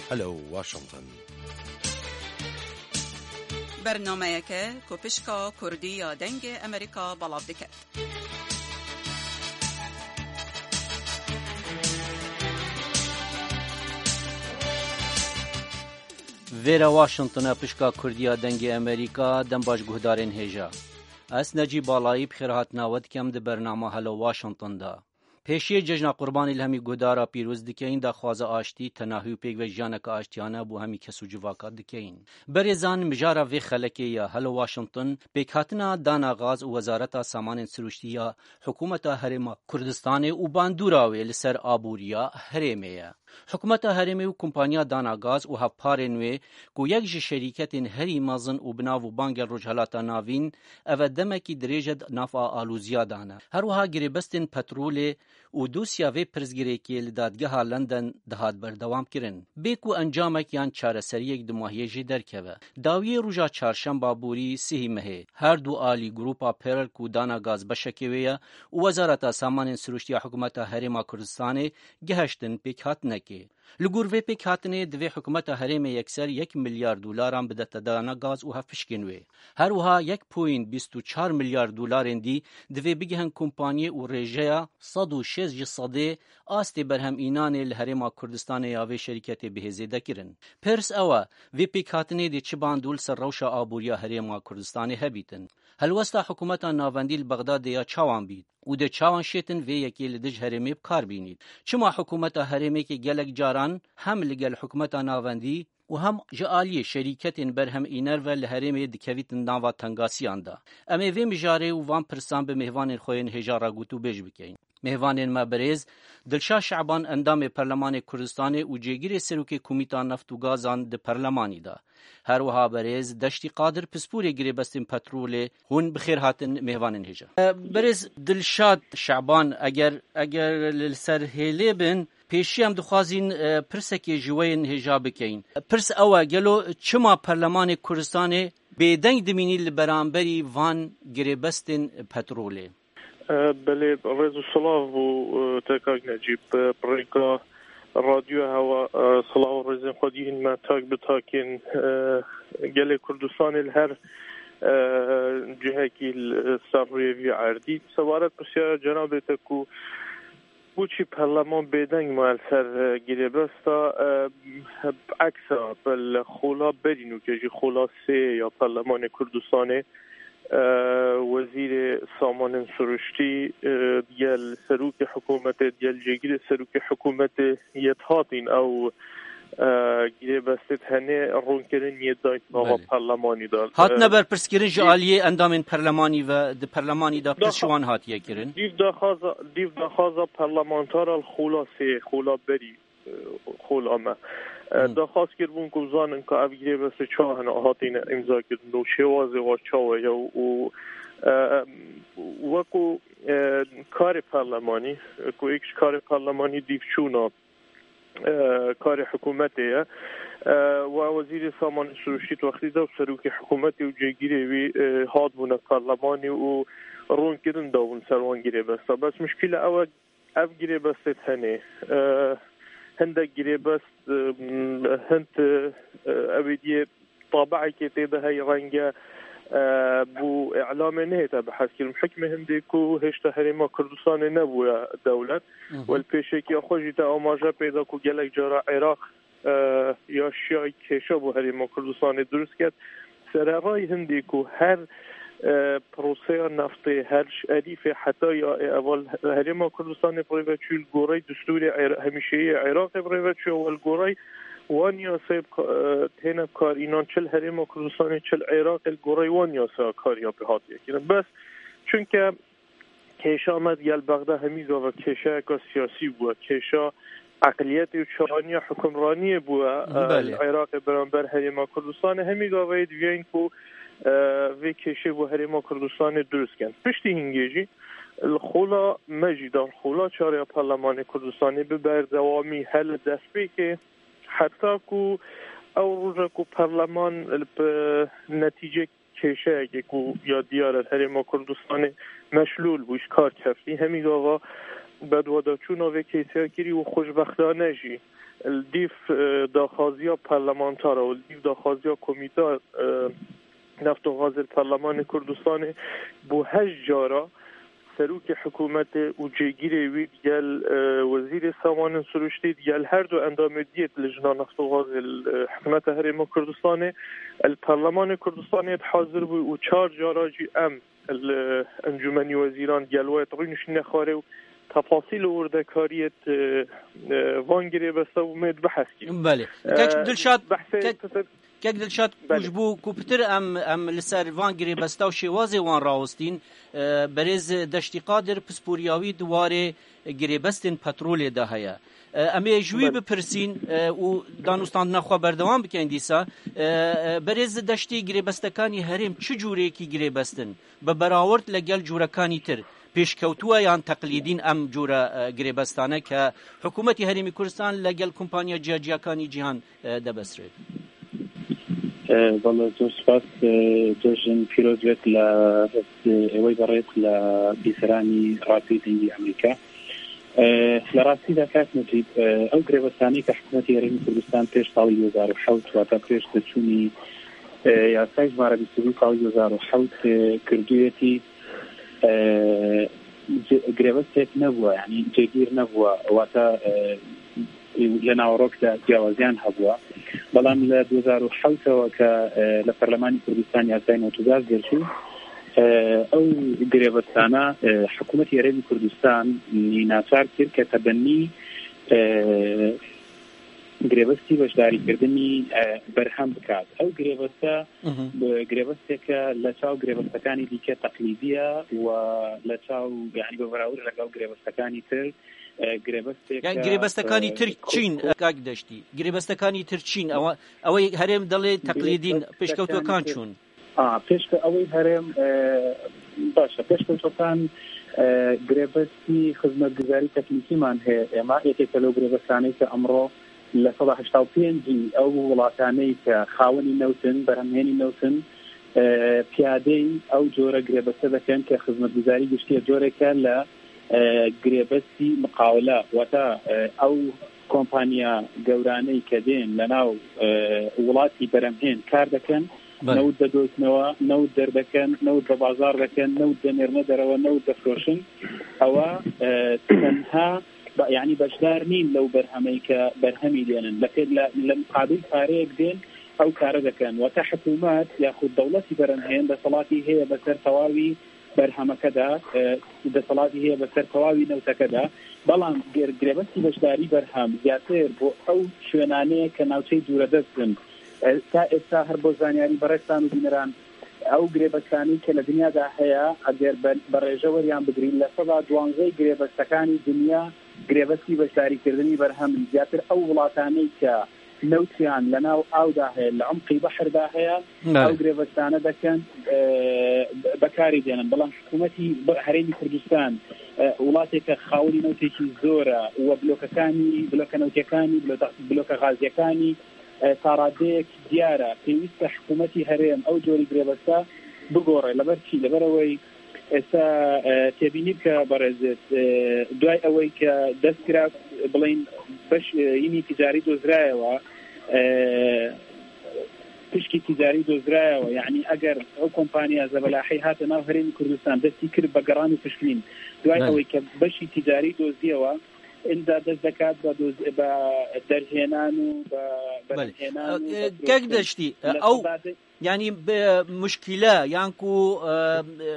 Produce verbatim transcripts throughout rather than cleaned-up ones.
Hello Washington. Bernameyeke ku pişka Kurdî ya Dengê Amerîka belav dike. Vêre Washington e, pişka Kurdî ya Dengê Amerîka, dem baş guhdarên hêja. Ez Necîb Balayî bi xêrhatina we dikem di bernama Hello Washington de. Pêşiyê cejna Qurbanê li hemî guhdara pîroz dikeyin, daxwaza aştî, tenahî û pêkve jiyaneke aştiyane bo hemî kes û civaka dikeyin. Berêzan, mijara vê xelekê ya Hello Washington, pêkhatina dana gaz û Wezareta Samanên Sirûştî ya Hikûmeta Herêma Kurdistanê û bandûra wê li ser aboriya herêmê ye. Hikûmeta herêmê û kompaniya dana gaz û hevparên wê ku yek ji şerîketên herî mezin û bi nav û bangel Rojhelata Navîn, ev e demekî dirêj e di nav a alûziya de ne. Her wiha girêbestên petrolê û dosya vê pirsgirêkê li dadgeha London dihat berdewam kirin. Bê ku encamek yan çareseriyek dumahiyê jê derkeve. Dawiyê roja çarşemba borî sihî mehê, her du alî Grupa Pearl ku dana gaz beşekê wê ye û Wezareta Samanên Sirûştî ya Hikûmeta Herêma Kurdistanê gihiştin pêkhatinekê. Li gor vê pêkhatinê divê hikûmeta herêmê yekser yek milyar dolaran bidete dana gaz û hevpişkên wê. Her wiha yek point bîst û çar milyar dolarên dî divê bigihin kompanyê û rêjeya sed û şêst ji sedê astê berhemînanê li Herêma Kurdistanê ya vê şerîketê bihê zêdekirin. Pirs ew e, vê pêkhatinê dê çi bandor li ser rewşa aboriya Herêma Kurdistanê hebîtin? Helwesta hikûmeta navendî li Bexdadê ya çawan bît? Û dê çawan şêtin vê yekê li dij herêmê bi kar bînît? Çima hikûmeta herêmê ke gelek caran hem li gel hikûmeta navendî û hem ji aliyê şerîketên berhem îner ve li herêmê dikevîtin nava tengasiyan de? Em ê vê mijarê û van pirsan bi mêvanên xwe yên hêja re gotûbêj bikeyin. Mêvanên me birêz, Dilşad Şaban, endamê Perlemanê Kurdistanê û cêgirê Serokê Komîta Neft û Gazan di Perlemanî de. Her wiha berêz Deştî Qadir, pisporê girêbestên petrolê, hûn bi xêr hatin mêvanên hêja. E, berêz Dilşad Şaban, eger, eger li ser hêlê bin, pêşî em dixwazîn, e, pirsekê ji we yên hêja bikeyin. Pirs ew e, gelo çima Perlemanê Kurdistanê bêdeng dimînî li beramberî van girêbestên petrolê? E, belê, rêz û silav bo, e, te kak Necîb, e, bi rêka Radyoya Hewa, e, silav û rêzên xwe dihîn me tak bi takên, e, gelê Kurdistanê li her, e, cihekî li ser rûyê vî erdî. Sebaret pirsyara cenabê te ku boçî perleman bêdeng maye li ser, e, girêbesta, e, bi eksa, bi li xola berî nûke jî xola sê ya Perlemanê Kurdistanê, e, wezîrê samanên siruştî, e, digel serokê hikûmetê, digel cêgirê serokê hikûmetê yê dihatîn ew, e, girêbestê tenê ronkirin yê dayîn nava Belê. perlemanî de. Hatine E, berpirskirin ji dîv aliyê endamên perlemanî ve di perlemanî de pirs ji daxa-, wan hatiye kirin? Dîv daxwaza, dîv daxwaza perlemantara li xola sê, xola berî, e, xola me. E, Hmm. daxwaz kiribûn ku bizanin ka ev girêbestê çawa hene hatine îmza kirin û şêwazê wa çawa ye û, û, e, weko, e, karê perlemanî, ku êk ji karê perlemanî dîvçûna, e, karê hikûmetê ye. E, wa wezîrê samanê siruştî di wextî de û serokê hikûmetê û cêgirê wî, e, hatbûne perlemanî û ronkirin dabûn ser wan girêbesta. Bes muşkîle ew e, ev girêbestê tenê, e, hindek girêbest, e, hind, e, ew ê diyê tabiekê tê de heye renge, e, bo îlamê nehête bihezkirin. Hikmê hindê ku hêşta Herêma Kurdistanê nebûye dewlet. Hı hı. Wel pêşekiya xwe jî te amaje pê de ku gelek cara Iraq, e, ya şiyayî kêşa bo Herêma Kurdistanê dirust ket. Sererayî hindê ku her, e, proseya neftê, her ji Elîfê heta ya ê eva li Herêma Kurdistanê bi rê ve çû, li gorey destûrê Ira-, hemîşeyî yê Iraqê bi rê ve çû, wel gorey wan yasayê bi ka-, e, têne bi kar înan çi li Herêma Kurdistanê, çi li Iraqê, li gorey wan yasaya kariya pê hatiye kirin. Bes çunke kêşa me digel Bexda hemî gava kêşeyeka siyasî bûye, kêşa eqliyetê û çawaniya hukimraniyê bûye, e, Belê. li Iraqê beramber Herêma Kurdistanê. Hemî gava yê diviyayîn ku, e, vê kêşê bo Herêma Kurdistanê dirust ken. Piştî hingê jî li xola me jî de, li xola çar ya Perlemanê Kurdistanê bi berdewamî hele destpêkê heta ku ew roja ku perleman li, bi netîcek kêşeyekê ku ya diyar e, Herêma Kurdistanê meşlûl bû, ji kar keftî. Hemî gava bedwadaçûna vê kêşeya kirî û xweşbextane jî Li dîv, e, daxwaziya parlamentar û li dîv daxwaziya Komîta, e, Neft û Gazê li Perlemanê Kurdistanê bo heşt cara serokê hikûmetê û cêgirê wî digel, e, wezîrê samanên sirûştî, digel her du endamê diyê lijna neft û gazê li, e, hikûmeta Herêma Kurdistanê, li Perlemanê Kurdistanê hazir bû û çar cara jî em li Encûmenî Wezîran digel we rûniştîne xwarê û tefasîl û wirdekariyê, e, e, van girêbesta û me dibehs kir. Belê. Kek E, Dilşad, behsê kek, kek Dilşad, ku Belê. ji bo ku pitir em, em li ser van girêbesta û şêwazê wan rawestîn, e, berêz Deştî Qadir pisporiya wî di warê girêbestên petrolê de heye. E, em ê ji wî Belê. bipirsîn, e, û danûstandina xwe berdewam bikin dîsa. E, e, berêz Deştî, girêbestekanî herêm çi cûrêkî girêbestin? Bi berawerd legel cûrekanî tir, pêşkewtû ye yan teqlîdîn em cûre, e, girêbestane ke hikûmetî Herêmî Kurdistan legel kompaniya ciyaciyakanî cîhan, e, debesrê? E, valla zor spas, e, cejn pîroz bet la, e, ewey berêt la bîseranî Radyoyê Dengî Amerîka. E, li rastî de kak Necîb, e, ew girêbestane ke hikûmetî Herêmî Kurdistan pêş salî du hezar û hewt, wata pêş diçûnî, e, yasayê jimare bîst û du salî du hezar û hewt, e, kirdûyetî, e, ce-, girêbestek nebûye, yanî cêgîr nebûye, wata, e, li naverok de ciyawaziyan hebûye. Belam li du hezar û hewt ke, e, li Perlemanî Kurdistan yasayê newtû gaz derçû, e, ew girêbestana, e, hikûmetî Herêmî Kurdistan nî naçar kir ke tebennî, e, girêbestî beşdarîkirdinî, e, berhem bikat. Ew girêbeste, Mhm. bi-, girêbesteke li çaw girêbestekanî dîke teqlîdî ye û li çaw, yanî bi berawir lege ew girêbestekanî tir, e, girêbesteke, Yani girêbestekanî e, tir ku-, çîn, ku- e, kak Deştî? Girêbestekanî tir çîn? Ewa, ew ê herêm dilê teqlîdîn, Girêbestekanî pêşkewtokan tir çûn? A, pêşke-, ew ê herêm, e, baş e. Pêşkewtokan, e, girêbestî xizmetguzarî teknîkîman heye. Êma yekê li girêbestanê ke emro li seda heşta û pêncî ew welatanê ke xawenî newt in, berhemhênî newt in, e, piyadeyî ew cure girêbeste dikin ke xizmetguzarî giştî ye. Cureke li, e, girêbestî miqawile, wata, e, ew kompaniya gewraneyî ke dên li nav, e, welatî berhemhên kar dikin, Belê. newt de doznewe, newt derdekin, newt de bazar dikin, newt de nêrine derewe, newt de firoşin. Ewa, e, tenha, ba-, yanî beşdar nîn lew berhemeyî ke berhemî dênin. Lê li, li miqabil pareyek dên ew kare dikin. Wata hikûmet yaxud dewletî berhemhên deselatî heye beser tewawî berhemeke de, e, deselatî heye beser tewawî newteke de. Belam ger girêbestî beşdarî berhem ziyadtir bo ew şwênaneyê ke navçeyê dûredest in. E, ta êsta her bo zanyarî berêzan û bîneran, ew girêbestanî ke li dinya de heye, eger be-, bi rêje weriyan bigirîn, li seda duwanzey girêbestekanî dinya girêbestî beşdarîkirdinî berhem in. Ziyadtir ew welatanê ke newtiyan li nav aw de heye, li umqî behr de heye, Belê. ew girêbestane dikin, e, bekarî dênin. Belam hikûmetî bi-, Herêmî Kurdistan, e, welateke xawinî newtekî zor e û blokekanî, bloke newtekanî, bloke, bloke gazyekanî, e, ta radeyek diyar e. Pêwîst e hikûmetî herêm ew corî girêbesta bigore. Li ber çî? Li ber ewey êsta, e, têbînî bike berêzit, e, duay ewey ke dest kira, bilên beş, e, yînî ticarî dozrayewa, e, pişkî ticarî dozrayewa. Yanî eger ew kompaniya zebelahî hate nav Herêmî Kurdistan destî kir be geran û pişkîn, duay Belê. ewey ke beşî ticarî dozdiyewa, inda dest dekat be doz-, be derhênan û be Belê. berhemhênan û E, be Kek firoştin. Deştî, e, Li ew, sedadê- yanî bi muşkîle, yan ku, e, e,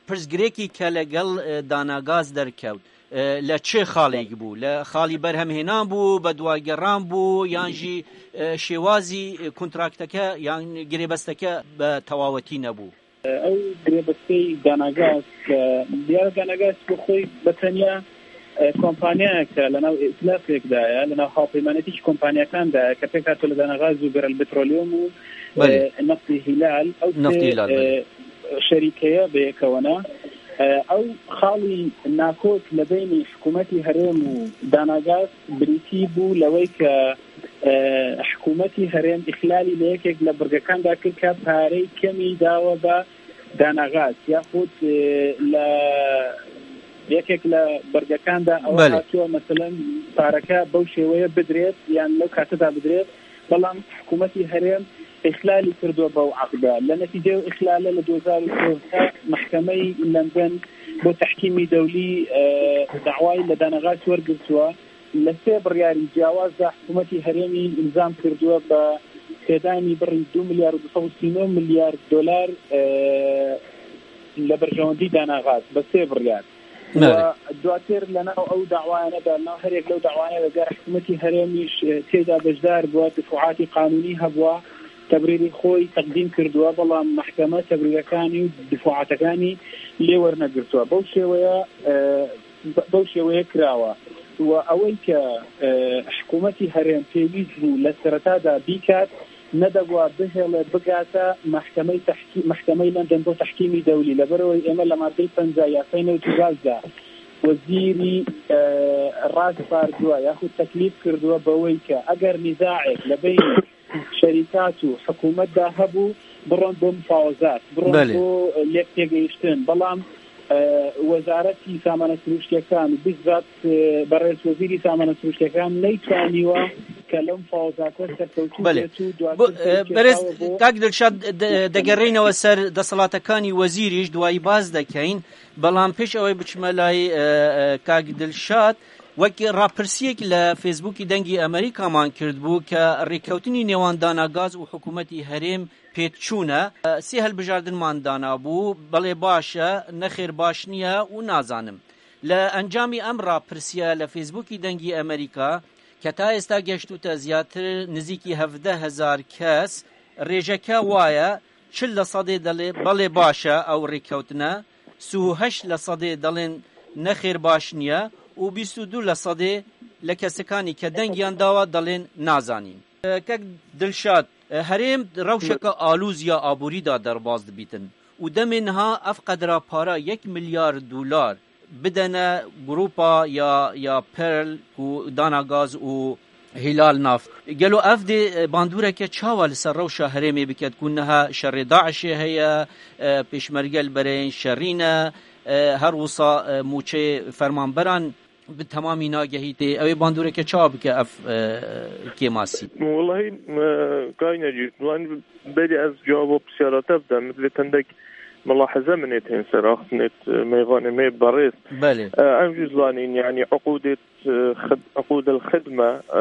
pirsgirêkî ke legel, e, Danagaz derkewt, e, li çi xalêk bû? Li xalî berhemhênan bû, beduwageran bû, yan jî, e, şêwazî, e, kontrakteke yan girêbesteke bi tewawetî nebû? Ew girêbestey Danagaz, e, diyar Danagaz bi xwe bi tenya, e, kompaniyayeke li nav îtilafek de ye, li nav hawpeymanetî ji kompaniyekan de ye, ke pêk hatiye li Danagaz û Berel Petroleum û, Belê. e, Neftî Hîlal. Ew Neftî sê, Hîlal, e, belê. şerîkeye bi yekewena. E, ew xalî nakok li beynî hikûmetî herêm û Danagaz birîtî bû lewey ke, e, hikûmetî herêm îxlalî li yekek li birgekan de kir ke parey kemî dawe be Danagaz. Yaxud, e, li یەکێک لە بەرگەکاندا ئەوە بەڵێ. هاتووە، مەسەلەن، پارەکە بەو شێوەیە بدرێت یان لەو کاتەدا بدرێت، بەڵام حکوومەتی هەرێم ئیخلالی کردووە بەو عەقدە. لە نەتیجەی ئیخلالە لە دوو هەزار و سێزدە مەحکەمەی لەندەن بۆ تەحکیمی دەولی، ئە، داوای لە دانەغاز وەرگرتووە. لە سێ بڕیاری جیاوازدا حکوومەتی هەرێمی ئیلزام کردووە بە پێدانی بڕی دو ملیار و دوو سەد و سی و نۆ ملیار دۆلار، ئە، لە بەرژەوەندی داناغاز بە سێ بڕیار. نەرێ. و دواتر لە ناو ئەو داوایانەدا، لە ناو هەرێک لەو داوایانەدا، گەر حکوومەتی هەرێمیش، ئە، تێدا بەشدار بووە، دفعاتی قانونی هەبووە، تەبریری خۆی تەقدیم کردووە، بەڵام مەحکەمە تەبریرەکانی و دفعاتەکانی لێ وەرنەگرتووە. بەو شێوەیە، ئە، ب-، بەو شێوەیە کراوە. و ئەوەی کە، ئە، حکوومەتی هەرێم پێویست بوو لە سەرەتادا بیکات، نەدەبووە بهێڵێ بگاتە مەحکەمەی تەحکی-، مەحکەمەی لەندەن بۆ تەحکیمی دەولی، لەبەرەوەی ئێمە لە مادەی پەنجا یاسای نەوت و گازدا وەزیری، ئە، ڕاسپاردووە یاخود تەکلیف کردووە بەوەی کە ئەگەر نیزاعێک لە بین شەریکات و حکوومەتدا هەبوو، بڕۆن بۆ مفاوەزات، بڕۆن بەڵێ. بۆ لێک تێگەیشتن. بەڵام، ئە، وەزارەتی سامانە سروشتیەکان و بیزات، ئە، بەڕێز وەزیری سامانە سروشتیەکان نەیتوانیوە کە لەم مفاوەزاتە سەرکەوتوو بەڵێ. بێت و دواتر بۆ، ئە، بەرێز کێشاوە بۆ کاک دڵشاد، دە-، دەگەڕێینەوە سەر دەسەڵاتەکانی وەزیریش، دوایی باز دەکەین، بەڵام پێش ئەوەی بچمە لای، ئە، ئە، کاک دڵشاد، وەک ڕاپرسیەک لە فێسبووکی دەنگی ئەمریکامان کرد بوو کە ڕێککەوتنی نێوان داناگاز و حکوومەتی هەرێم پێچوونە. سێ هەلبژاردنمان دانابوو، بەڵێ باشە، نەخێر باش نییە و نازانم. لە ئەنجامی ئەم ڕاپرسیە لە فێسبووکی دەنگی ئەمریکا کە تا ئێستا گەشتوتە زیاتر نزیکی هەڤدە هەزار کەس، ڕێژەکە وایە، چل لە سەدێ دەڵێ بەڵێ باشە ئەو ڕێککەوتنە، سی و هەشت لە سەدێ دەڵێن نەخێر باش نییە و بیست و دوو لە سەدێ لە کەسەکانی کە دەنگیان داوە دەڵێن نازانین. کەک دڵشاد، هەرێم ڕەوشەکە ئالوز یا ئابووریدا دەرباز دبیتن و دەمێ نها ئەف قەدرا پارە یەک ملیار دولار بدەنە گروپا یا، یا پرل و داناگاز و هیلال نافت. گەلۆ ئەف دێ باندورەکە چاوا لەسەر ڕەوشە هەرێمێ بکەت کو نها شەڕێ داعشێ هەیە، پێشمەرگە لە بەرەیەن شەڕینە، هەر وسا موچێ فەرمانبەران bi temamî nagehîtê. Ew ê bandoreke çawa bike ev, e, kêmasî? Wellahî, e, kayne cî, yani berî ez cewaba pisyara te bidim, min divê tendek milahize min ê tên ser axtinêt, e, mêvanê me berêz. Belê. E, em jî zanîn, yani uqûdêt, e, xid-, uqûdel xidme, e,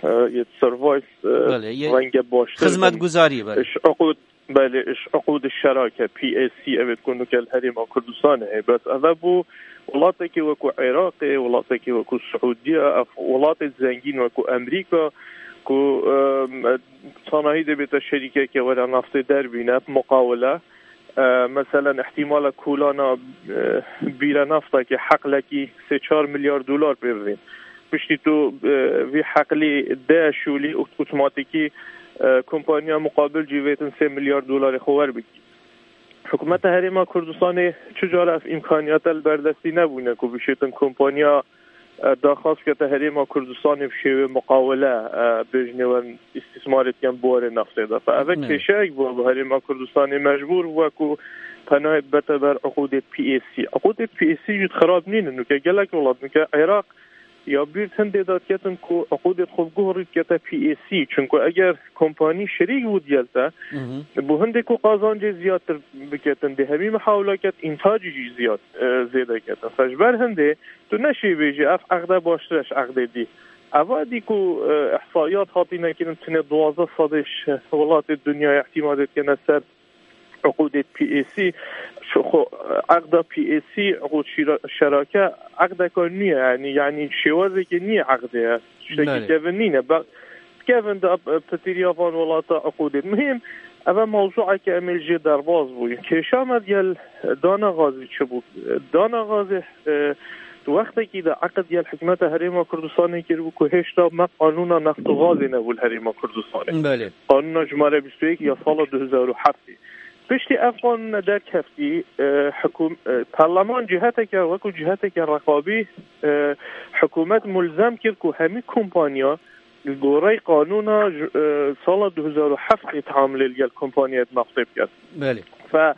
e, yê service, e, Belê, yê renge baştir xizmetguzarî, belê. Iş uqûd Belê, iş uqûd şerake, P A C, ev ê ku nuke li Herêma Kurdistanê heye. Bes ev e bû welatekî wekû Iraqê, welatekî wekû Siûdiye, ev welatê zengîn wekû Amerîka, ku, em, sanahî dê bête şerîkeke were naftê derbîne, bi muqawele. E, meselen, ihtimala kulana, e, bîre naftakê, heqlekî sê çar milyar dolar pê bidîn. Piştî tu, e, vî heqlî de şûlî ot-, otomatîkî, e, kompanya muqabil cî vêtin sê milyar dolarê xwe werbigî. Hikûmeta Herêma Kurdistanê çi cara ev îmkaniyata li ber destî nebûne ku bişêtin kompanya, e, daxwaz bikete Herêma Kurdistanê bi şêwê muqawele, e, bêjinê werin îstîsmarê dikin bi warê naftê de. Fe eve Ne. kêşeyek bû bi Herêma Kurdistanê mecbûr bû ku penayê bibete ber uqûdê P A C. Uqûdê P A C jî xirab nînin. Nuke gelek welat, nuke Iraq, ya bîr hindê de diketin ku uqûdê xwe bi guh rî dikete P A C. Çunku eger kompanî şerîk bû digel te, Mhm. bû hindê ku qazancê ziyadtir biketin, dê hemî mihawila ket, întacî jî ziyad, e, zêde ketin. Fe ji ber hindê tu neşê bêjî, ev eqde baştir e ji eqdê dî. Eva dî ku, e, ihsaiyat hatîne kirin, tenê duwazdeh sedê ji welatê dinyayê îtîmadê dikene ser uqûdê P A C, şu xwe, eqda P A C, uqûd şîra-, şerake, eqdeka nû ye, yani, yani şêwazekê nû ye eqdê ye. Tiştekî Belê. kevin nîne. Be-, kevin de, e, pitîriya van welata uqûdê. Muhîm, ev e mewzueke em ê li jê derbas bûyîn. Kêşa me digel dana gazî çi bû? Dana gazê, e, di wextekî de eqd digel hikûmeta Herêma Kurdistanê kiribû ku hêşta me qanûna neft û gazê nebû li Herêma Kurdistanê. Belê. Qanûna jimare bîst û yek ya sala du hezar û heftê. Piştî ev qanûne derkeftî, e, hikûm-, e, parleman ciheteke, wekû ciheteke reqabî, e, hikûmet mulzem kir ku hemî kompanya li gorey qanûna ji, e, sala du hezar û heftê teamulê li gel kompanyayê naftê biket. Belê. Fe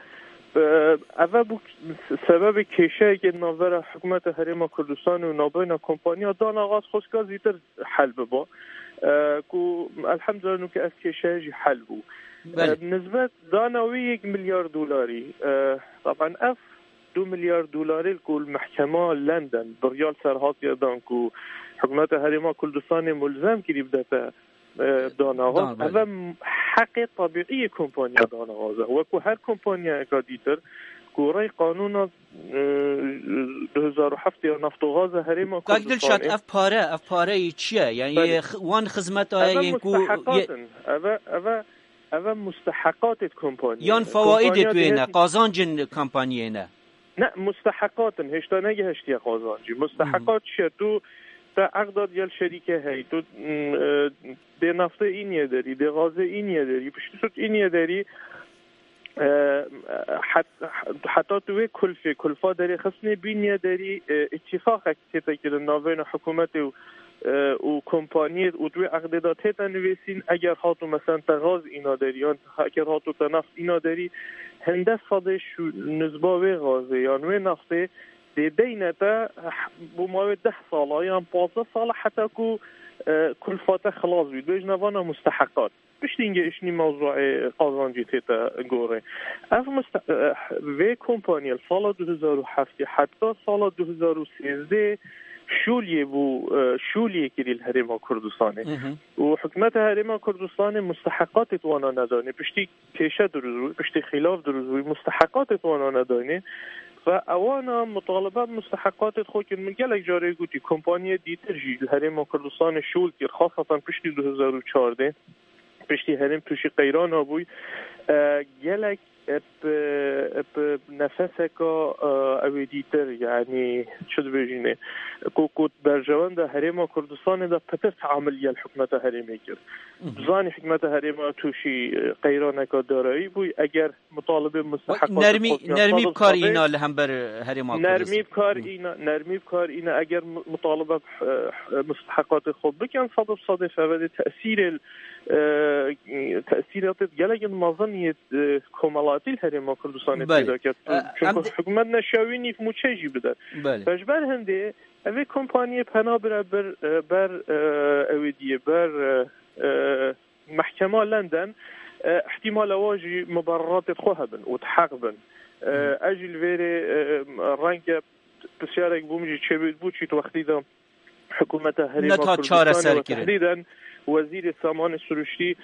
Ev bû sebebê kêşeyekê navbera hikûmeta Herêma Kurdistanê û navbeyna kompanya dana gaz xwestka zîtir hel biba. Ku elhemdulillah nûke ev kêşeye jî hel bû. Belê. Nisbet dana wê yek milyar dolarî. Taban ev du milyar dolarê ku li mehkema London biryar serhatiye dan ku hikûmeta Herêma Kurdistanê mulzem kirî bidete e, dana gaz. Dana, belê. Ev heqê tabîî yê kompanya dana gaz e. Wekî her kompanyayeka dîtir ku rê qanûna, e, du hezar û heft ya Naftogaz a Herêma Kurdistanê. Kak Dilşad, ev pare, ev pareyê çi ye? Yani, belê, yê x-, wan xizmeta ye, yê ku, musteheqat in. Ev, ev, ev musteheqatê kompanyayê ne. Yan fawaidê pê ne, qazancên kompanyayê ne. Ne, musteheqat in, hêşta negihiştiye qazancî. Musteheqat çi ye? Tu te eqda digel şerîke heyî, tu, mm, e, dê naftê înye derî, dê gazê înye derî, piştî tu înye derî, e, het-, heta tu wê kulfê, kulfa derê xistnê bîniye derî, e, îtîfaqek tête kirin navbeyna hikûmetê û, e, û kompaniyê û di wê eqdê de tête nivîsîn, eger hatu, meselen, te gaz îna derî, yan eger hatu te naft îna derî, hinde sedê şu nizba wê gazê yan wê naftê dê deyne te, bo mawê deh sala yan pazdeh sala heta ku, e, kulfa te xilas bî. Dibêjin ev ana musteheqat. Piştî hingê îşnî mewzuê qazancî tête gorê. Ev muste-, eh, vê kompaniyê li sala du hezar û heftê heta sala du hezar û sêzdeh şûliyê bû, eh, şûliyê kirî li Herêma Kurdistanê. Hı hı. Û hikûmeta Herêma Kurdistanê musteheqatê wana nedanê. Piştî kêşe dirûst bû, piştî xîlaf dirûst bû, musteheqatê wana nedanê. Ve ewana mutalibe musteheqatê xwe kirin. Min gelek carê gotî, kompaniyê dîtir jî li Herêma Kurdistanê şûl kir, xasatan piştî du hezar û çardeh. Piştî herêm tûşî qeyrana bûy. E, gelek, e, bi, e, bi nefeseka, e, ew ê dîtir, yanî çi dibêjînê, ku, ku berjewenda Herêma Kurdistanê de pitir teamil gel hikûmeta herêmê kir. Hı hı. Zanî hikûmeta herêma tûşî, e, qeyraneka darayî bûy. Eger mutalibê musteheqatê nermî, xwe nermî bi kar îna li hember Herêma Kurdistan. Nermî bi kar îna, nermî bi kar îna, eger mu-, mutalibe bi, e, musteheqatê xwe bikin, sed bi sedê fevdê tesîrê, e, tesîratê gelek mezin yê, e, komelatî li Herêma Kurdistanê peyda ket. Belê. E, çünkü em de hikûmet neşewî nîv mûçe jî bide. Belê. Ve ji ber hindê ev ê kompaniyê pena bire ber, e, ber, e, ew ê diyê, ber, e, e, Mehkema London, e, ihtimala wa jî mubereratê xwe hebin û di heq bin. E, Hı. ez jî li vêrê, e, renge pisyarek bûm jî çêbû, bû çît wextî de hikûmeta Herêma Neta Kurdistanê çareser ve kirin. Tehdîden wezîrê samanê siruştî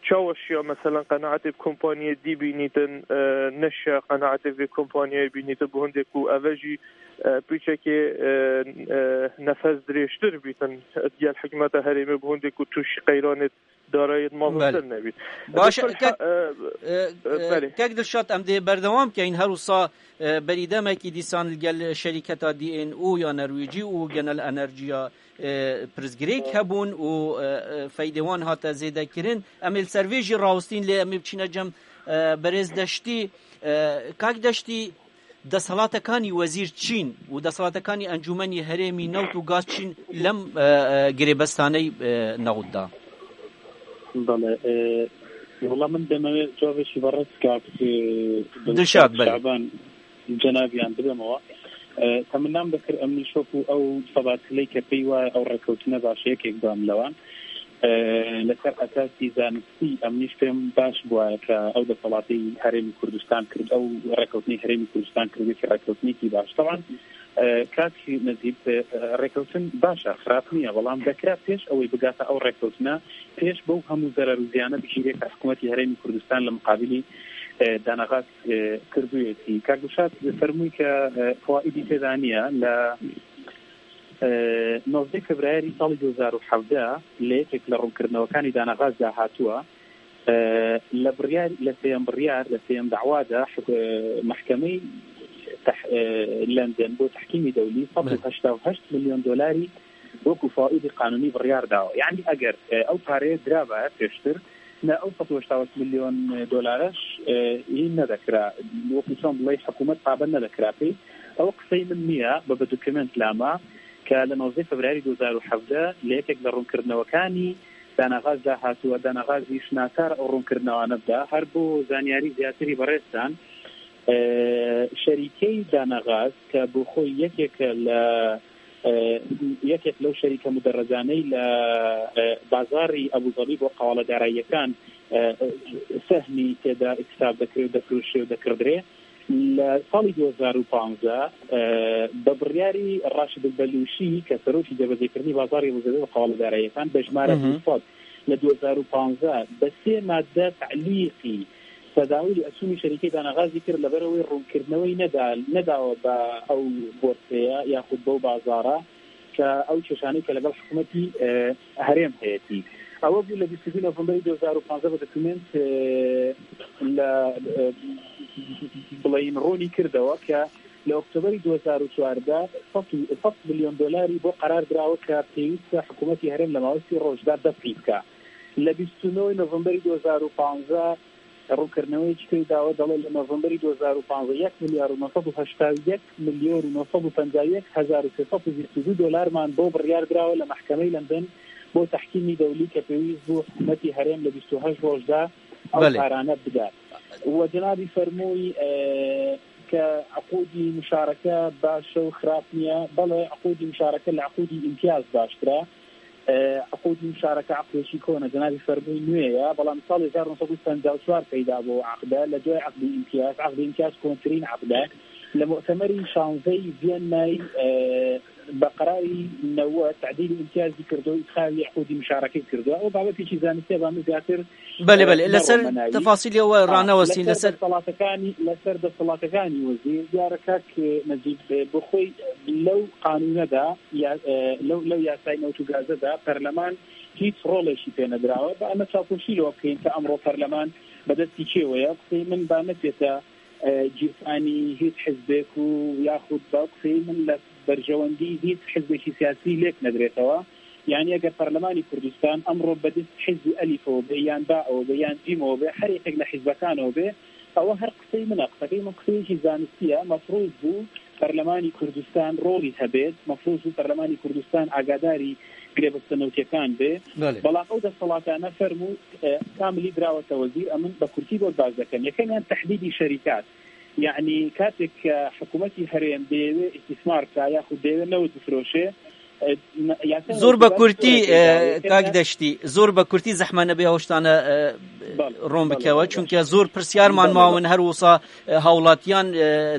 çawa şiya, meselen, qenaetê bi kompaniyê dî bînîtin, e, neşiya qenaetê vê kompaniyayê bînîtin, bi hindê ku eve jî, e, pîçekê, e, e, nefes dirêjtir bîtin, digel hikûmeta herêmê bi hindê ku tûşî qeyranê darayê mezin nebît. Belê. Baş, Dilşad, kek, e, e, e, e, belê. Kek Dilşad, em dê berdewam keyin. Her wisa, e, berî demekî dîsan li gel şerîketa D N O ya Norwêcî û Genel Enerjiya, e, pirsgirêk hebûn û, e, e, feydê wan hate zêdekirin. Em ê li ser vê jî rawestîn, lê em ê biçîne cem, e, berêz Deştî. E, kak Deştî, Desthilatekanî Wezîr Çîn û desthilatekanî Encûmenî Herêmî Newt û Gaz Çîn lem, e, e, girêbestaney, e, newt da. Belê, e, wela min demewê cavê şî ve res kak, e, Dilşad, belê. Şaban cenabiyan bidemewa. E, teminam dikir em nîşok û ew sebatiley ke pey wa ew rekewtine baş yekek bam lewan. E, لەسەر ئەساسی زانستی ئەمنیش پێم باش بوایە کە ئەو دەسەڵاتی هەرێمی کوردستان کرد، ئەو ڕێکەوتنی هەرێمی کوردستان کردێکی ڕێکەوتنێکی باش. طبعا، ئە، کاک نەجیب، ئە، ڕێکەوتن باشە، خراپ نییە، بەڵام دەکرا پێش ئەوەی بگاتە ئەو ڕێکەوتنە، پێش بەو هەموو زەرەر و زیانە بگیرێ کە حکوومەتی هەرێمی کوردستان لە مقابلی، ئە، دانەغاز، ئە، کردوویەتی. کاک گوشاد فەرمووی کە، ئە، فوائدی تێدا نییە لە ئە، نۆزدە فێبرایەری ساڵی دوو هەزار و حەڤدە لە یەکێک لە ڕوونکردنەوەکانی دانەغازدا هاتووە، ئە، لە بڕیار، لە سێیەم بڕیار، لە سێیەم داوادا حک-، ئە، مەحکەمەی تەح-، ئە، لەندەن بۆ تەحکیمی دەولی سەد و هەشتا و هەشت ملیۆن دۆلاری وەکو فائیدی قانونی بڕیار داوە. یعنی ئەگەر، ئە، ئەو پارەیە درابایە پێشتر، نە ئەو سەد و هەشتا و هەشت ملیۆن دۆلارەش، ئە، هین نەدەکرا. وەکو چۆن بڵێ حکوومەت پابەند نەدەکرا پێی. ئەوە قسەی من نییە، بە، بە دوکیومنت لامە کە لە نۆزدە فێبرایەری دوو هەزار و حەڤدە لە یەکێک لە ڕوونکردنەوەکانی دانەغازدا هاتووە. دانەغازیش ناچار ئەو ڕوونکردنەوانە بدا. هەر بۆ زانیاری زیاتری بەڕێزتان، شەریکەی دانەغاز کە بۆ خۆی یەکێکە لە یەکێک لەو شەریکە مدەڕەجانەی لە بازاری ئەبوزەبی بۆ قەواڵە داراییەکان سەهمی تێدا ئیکتساب دەکرێت و دەفروشێ و دەکڕدرێ. لە ساڵی دوو هەزار و پازدە بە بڕیاری ڕاشد بەلوشی کە سەرۆکی جێبەجێکردنی بازاری ئەبوزەبی بۆ قەواڵە داراییەکان بە ژمارە دوو سەد لە دوو هەزار و پازدە بە سێ مادە تعلیقی تەداولی ئەسومی شەریکەی دانەغازی کرد لەبەرەوەی ڕوونکردنەوەی نەدا نەداوە بە ئەو بۆرسەیە یاخود بەو بازارە کە ئەو کێشانەی کە لەگەڵ حکوومەتی هەرێم هەیەی. ئەوە بوو لە بیست و دوو نۆڤمبەری دوو هەزار و پازدە بە دەکومنت لە بڵین ڕوونی کردەوە کە لە ئۆکتۆبەری دوو هەزار و چواردە سەد میلیۆن دۆلاری بۆ قەرار دراوە کە پێویستە حکوومەتی هەرێم لە ماوەی سی ڕۆژدا دەفعی بکە. لە بیست و نۆ نۆڤمبەری دوو هەزار و پازدە ڕوونکردنەوەیەکی پێی داوە، دەڵێت لە نۆڤمبەری دوو هەزار و پازدە یەک ملیار و نۆ سەد و هەشتا و یەک ملیۆن و نۆ سەد و پەنجا و یەک هەزار و سێ سەد و بیست و دوو دۆلارمان بۆ بڕیار دراوە لە مەحکەمەی لەندەن بۆ تەحکیمی دەولی کە پێویست بوو حکوومەتی هەرێم لە بیست و هەشت ڕۆژدا ئەو بەڵێ. کارانە بدات. و جەنابی فەرمووی کە عقودی مشارەکە باشە و خراپ نییە. بەڵێ، عقودی مشارەکە لە عقودی ئیمتیاز باشترە. عقودی مشارەکە عقدێکی کۆنە، جەنابی فەرمووی نوێیە، بەڵام ساڵی هەزار و نۆ سەد و پەنجا و چوار پەیدا بوو عقدە لە دوای عقدی ئیمتیاز. عقدی ئیمتیاز کۆنترین عقدە. لە مؤتەمەری شانزەی ڤیەننای بە قەراری نەوەد تعدیلی ئیمتیازی کردو و ئیدخالی عقودی مشارەکەی کردو. ئەو بابەتێکی زانستیە بە من زیاتر بەێ بەێ لەسەر تەفاسیلی ئەوە ڕانەوەستین لەسەر دەسەڵاتەکانی لەسەر دەسەڵاتەکانی وەزیر دیارە کاک نەجیب بۆ خۆی لەو قانونەدا لەو لەو یاسای نەوت و گازەدا پەرلەمان هیچ ڕۆڵێکی پێ نەدراوە. بە ئەمە چاوپۆشی لەوە بکەین کە ئەمڕۆ پەرلەمان بەدەستی کێوەیە. قسەی من با نەچێتە گیرفانی هیچ حزبێک و یاخود بە قسەی من لە بەرژەوەندی هیچ حزبێکی سیاسی لێک نەدرێتەوە. یعنی ئەگەر پەرلەمانی کوردستان ئەمڕۆ بەدەست حزبی ئەلیفەوە بێ یان بائەوە بێ یان جیمەوە بێ، هەر یەکێک لە حزبەکانەوە بێ، ئەوە هەر قسەی منە. قسەکەی من قسەیەکی زانستیە. مەفروض بوو پەرلەمانی کوردستان ڕۆڵی هەبێت، مەفروض بوو پەرلەمانی کوردستان ئاگاداری گرێبەستە نەوتیەکان بێ. بەڵام ئەو دەسەڵاتانە فەرموو کاملی دراوەتە وەزیر. ئەمن بە کورتی بۆت باس دەکەم. یەکەمیان تەحدیدی شەریکات، یعنی کاتێک کە حکوومەتی هەرێم دەیەوێ ئیسیسمار بکا یاخود دەیەوێ نەوت بفرۆشێ. زۆر بە کورتی کاک دەشتی، زۆر بە کورتی زەحمە نەبێ هەوشتانە ڕۆن بکەوە، چونکە زۆر پرسیارمان ماون هەر وسا هاوڵاتیان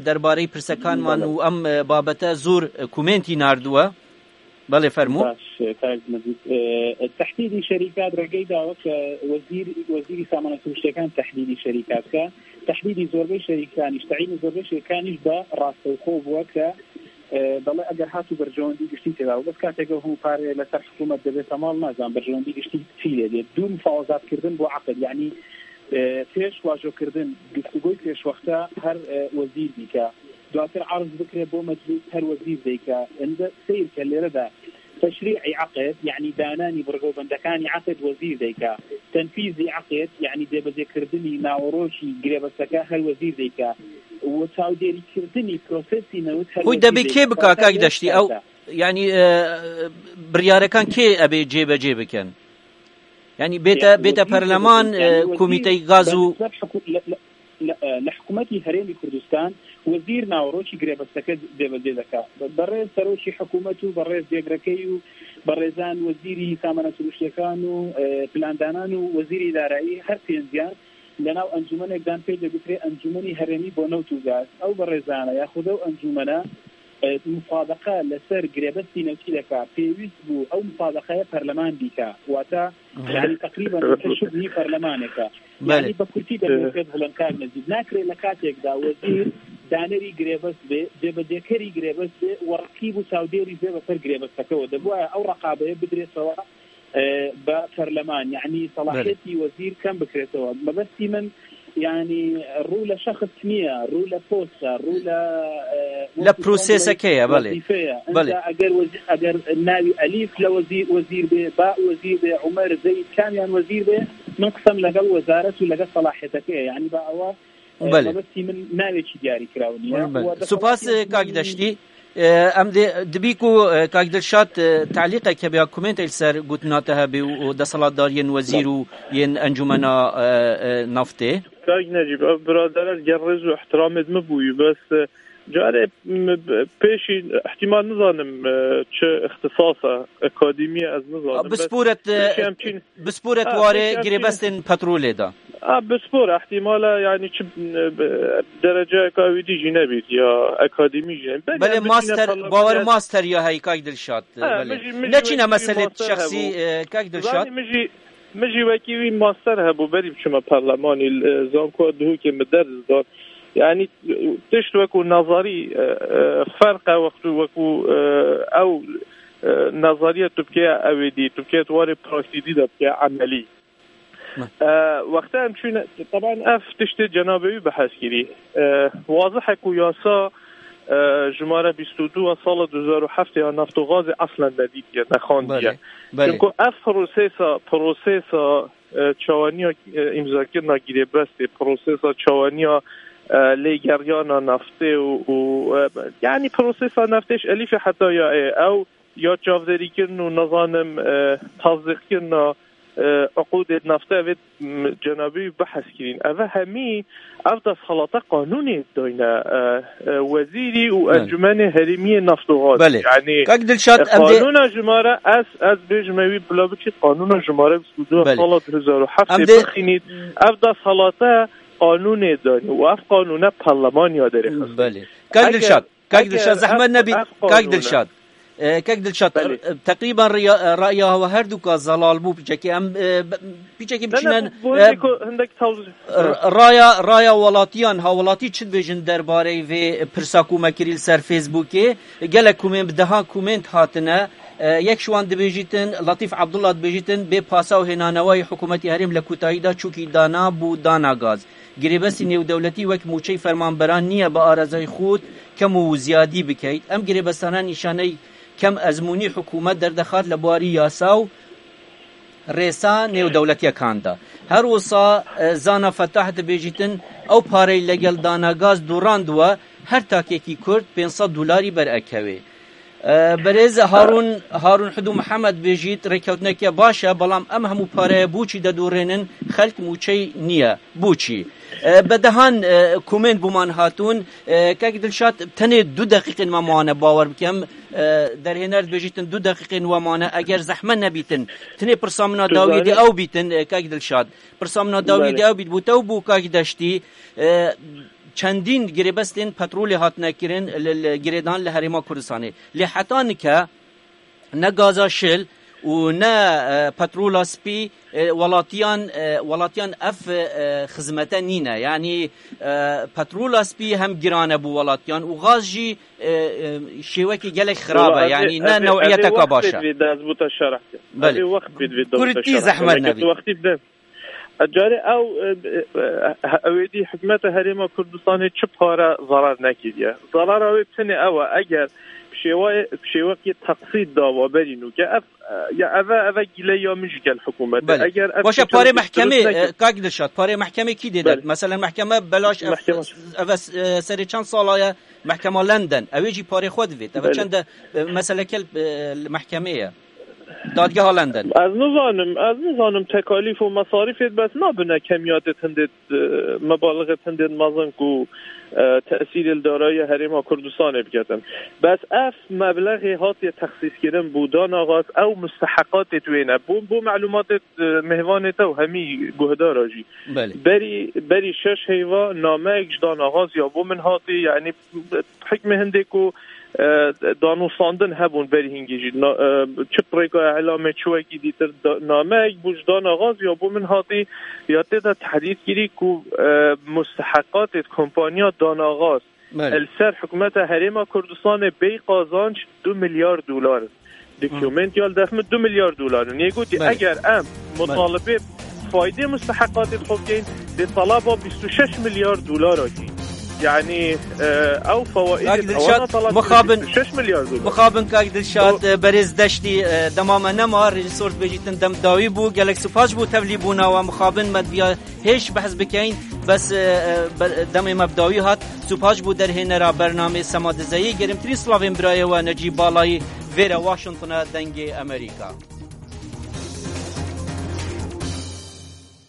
دەربارەی پرسەکانمان و ئەم بابەتە زۆر کومنتی ناردووە. بەڵێ فەرموو. باش، کاک مەجید. تەحدیدی شەریکات ڕێگەی داوە کە وەزیر وەزیری سامانە سروشتەکان تەحدیدی شەریکات کە تەحدیدی زۆربەی شەریکانیش تەعینی زۆربەی شەریکانیش بە ڕاستەوخۆ بووە کە دەڵێ ئەگەر هاتوو بەرژەوەندی گشتی تێدا و بەس کاتێکە هەموو پارەیە لەسەر حکوومەت دەبێتە ماڵ، نازان بەرژەوەندی گشتی چی لێ دێت. دوو مفاوەزاتکردن بۆ عقد، یعنی پێش واژۆکردن گفتوگۆی پێشوەختە هەر وەزیر بیکە، دواتر عرض بکرێت بۆ مەجلیس هەر وەزیر دەیکە. ئەندە سیر کە لێرەدا تشریعی عقد، یعنی دانانی بڕگە و بەندەکانی عقد وەزیر دەیکا، تەنفیزی عقد، یعنی جێبەجێکردنی ناوەڕۆکی گرێبەستەکە هەر وەزیر دەیکا، و چاودێریکردنی پرۆسێسی نەوت هەر خۆی دەبێ کێ بکا کاک دەشتی؟ ئەو یعنی بڕیارەکان کێ ئەبێ جێبەجێ بکەن؟ یعنی بێتە بێتە پەرلەمان، کۆمیتەی گاز و لە حکوومەتی هەرێمی کوردستان وەزیر ناوەڕۆکی گرێبەستەکە جێبەجێ دەکات. بەڕێز سەرۆکی حکوومەت و بەڕێز جێگرەکەی و بەڕێزان وەزیری سامانە سروشتیەکان و پلاندانان و وەزیری دارایی هەر پێنجیان لەناو ئەنجومەنێکدان پێی دەگوترێ ئەنجومەنی هەرێمی بۆ نەوت و گاز. ئەو بەڕێزانە یاخود ئەو ئەنجومەنە مسابقە لەسەر گرێبەستی نەوتی دەکا، پێویست بوو ئەو مسابقەیە پەرلەمان بیکا، واتە یعنی تقریبا وتە شبهی پەرلەمانێکە. یعنی بە کورتی دەبێت بڵێن کار نەزیک ناکرێت لە کاتێکدا وەزیر دانەری گرێبەست بێ، جێبەجێکەری گرێبەست بێ و ڕقیب و چاودێری بێ بەسەر گرێبەستەکەەوە. دەبواە ئەو ڕقابەیە بدرێتەوە بە پەرلەمان، یعنی سەڵاحەتی وەزیر کەم بکرێتەوە. مەبەستی من یعنی ڕوو لە شەخص نییە، ڕوو لە پۆستە، ڕوو لە لە پرۆسێسەکەیە. بەڵێ بەڵێ. ئەگەر ئەگەر ناوی ئەلیف لە وەزیر وەزیر بێ، با وەزیر بێ، عومەر زەید کامیان وەزیر بێ، من قسەم لەگەڵ وەزارەت و لەگەڵ سەڵاحەتەکەیە، یعنی با ئەوە بەڵێ. مەبەستی من ناوێکی دیاری کراو نییە. سوپاس کاک دەشتی. E, em dê, dibî ku, e, Kak Dilşad, e, telîqek hebe ya komentê li ser gotina te hebe û, û desthilatdariyên wezîr û yên encûmena, e, e, naftê. Kak Necîb, ev biradere li gel rêz û ihtiramê min bûyî, bes, e, carê, m, b-, pêşî ihtimal nizanim, e, çi îxtisas e, akademî ye, ez nizanim, bes Bisporet, e, pêşî em çîn-, bisporet ha, warê pêşî em çîn-, girêbestên petrolê de. Ha, bispor ihtimal e, yanî çi, e, b-, dereceyeka wî dî jî nebît, ya akademî jî nebît. Belê Belê em biçîne master, parlamentê bawer ez master ya heyî, Kak Dilşad, e, Ha, belê. Min jî, min jî Neçîne wekî wî meselê master şexsî, hebû. E, Kak Dilşad? Zanî, min jî, min jî wekî wî master hebû, berî biçime parlemanî, e, zanko duhokê min ders dan. Yanî, tişt wekû nazarî, e, e, ferq e, wextû wekû, e, ew, e, nazariye tu bikeye ew ê dî, tu bikeye tu warê praktîkî de bikeye emelî. E, wexta em çûne, teban ev tiştê cenabê wî behs kirî. E, wazih e ku yasa, e, jimare bîst û du a sala du hezar û heft ya neft û gazê eslen nedîtiye, nexandiye. Belê, belê. Çunku ev prosesa, prosesa, e, çawaniya, e, îmzakirina girêbestê, prosesa çawaniya, e, lêgeriyana naftê û, û, e, yanî prosesa naftê ji elîfê heta ya ê, ew ya çavdêrîkirin û, nizanim, e, tasdîqkirina, e, uqûdê naftê, ev ê, m, cenabî wî behs kirîn. Ev hemî, ev desthelata qanûnê dayne, e, e, wezîrî û Belê. Encûmenê Herêmiyê Neft û Gaz. Belê. Yanî, Kak Dilşad, e, em dê qanûna jimare, ez, ez bêjime wî bila biçît, qanûna jimare bîst û du Belê. sala du hezar û heft Em dê dê bixînît. Ev desthelata qanûnê dayne û ev qanûne parlemanya derê xist. Belê. Kak Eger Dilşad, Kak Dilşad, Eger zehmet ev, nebî, ev Kak qanûne Dilşad. E, Kak Dilşad, Belê. e, teqrîben riya-, e, raya we her duka zelal bû, piçekî em, e, be-, piçekî Ne, ne, biçîne, bu, bu e, hindek, hindek tawz-, r-, raya, raya welatiyan, ha, welatî çi dibêjin derbareyê vê pirsa ku me kirî li ser Facebookê? Gelek komên, bi dehan komênt hatine. E, yek ji wan dibêjîtin, Latîf Abdullah dibêjîtin, bê pasa û hênanewayî hikûmetî herêm le kotayî da çûkî dana bû dana gaz. Girêbestî nêwdewletî wek mûçey fermanberan niye bi arezayî xût kem û ziyadî bikeit. Em girêbestana nîşaney kem ezmûnî hikûmet derdexat li barî yasa û rêsa nêwdewletiyekan de. Her wisa, e, Zana Fetah dibêjîtin, ew parey legel dana gaz dûrand we, her takekî Kurd pênc sed dolarî berekevê. E, berêz Harun, Harun Hudu Mihemed bêjît, rêkewtineke baş e, belam em hemû pareye boçî dedûrênin, xelk mûçey niye. Boçî? E, bedehan, e, komên bûman hatûn. E, Kek Dilşad, tenê du deqîqên me mane, bawer bikem. E, derhêner dibêjîtin du deqîqên we mane. Eger zehmet nebîtin, tenê pirsa min a Tu dawiyê dê zanî- ew bîtin, e, Kek Dilşad. Pirsa min a dawiyê Belê. dê ew bît, bû te û bû Kak Deştî. E, çendîn girêbestên petrolê hatine kirin, li, li, girêdan li Herêma Kurdistanê. Lê heta nike ne gaza şil û ne, e, petrola spî, e, welatiyan, e, welatiyan ev, e, xizmete nîne. Yanî, e, petrola spî hem giran e bo welatiyan û gaz jî, e, e, şêwekî gelek xirab e. Wala, ev ê, Yanî ne ev ê, ev ê newiyeteka wext baş e. pêdivê de ez bo te şerh kim. Belê. Ev ê wext pêdivê de bo te Kurtî şerh kim. zehmet Weke nebî. tu wextî bide. Carê ew, e, e, e, ew ê dî hikûmeta Herêma Kurdistanê çi pare zarar nekiriye. Zarara wê tenê ew e, eger bi şêwayê, bi şêwekê teqsît dawa berî nûke, ev, e, ya ev e, ev e gîle ya min jî gel hikûmetê. Belê. Eger ev Baş e, çî parê çewkî mehkemê, durust neke- e, Kak Dilşad, parê mehkemê kî dê de? Belê. Mesela mehkeme belaş ev, Mehkeme. ev e, e, serê çend sala ye mehkema London. Ew ê jî parê xwe divêt. Ev e Belê. çend e, meseleke, e, li mehkemê ye. Dadgeha London. Ez nizanim, ez nizanim tekalîf û mesarîfê bes nabine kemiyatê hindê, e, mebalixê hindê mezin ku, e, tesîrê li darayiya Herêma Kurdistanê biketin. Bes ev meblexê hatiye texsîskirin bo dana gaz, ew musteheqatê wê ne. Bo, bo melûmatê, e, mêvanê te û hemî guhdara jî. Belê. Berî, berî şeş heyva nameyek ji dana gaz ya bo min hatî, yanî hikmê hindê ku, e, danûstandin hebûn berî hingî jî. Na-, e, çi bi rêka îlamê, çi wekî dîtir da-, nameyek bû ji dana gaz ya bo min hatî, ya tê de tehdîd kirî ku, e, musteheqatê kompaniya dana gaz Belê. li ser hikûmeta Herêma Kurdistanê bê qazanc du milyar dolar in. Dokument ya li dest min du milyar dolar in. Yê gotî Belê. eger em Belê. mutalibê faydê musteheqatê xwe bikeyin, dê talaba bîst û şeş milyar dolara kî. Yani, e, ew fawaid Kak Dilşat, ewana talat mixabin- şeş milyar dolar. Mixabin Kak Dilşat, e, berêz Deştî, e, dema me nema, rejîsor dibêjîtin dem dawî bû, gelek spas bû tevlîbûna we, mixabin me diya hêş behs bikeyin, bes, e, e, be- demê me bi dawî hat, spas bû derhênera bernamê Sema Dizeyî, gerimtirîn slavên birayê we Necîb Balayî, vêre Washingtona dengê Amerîka.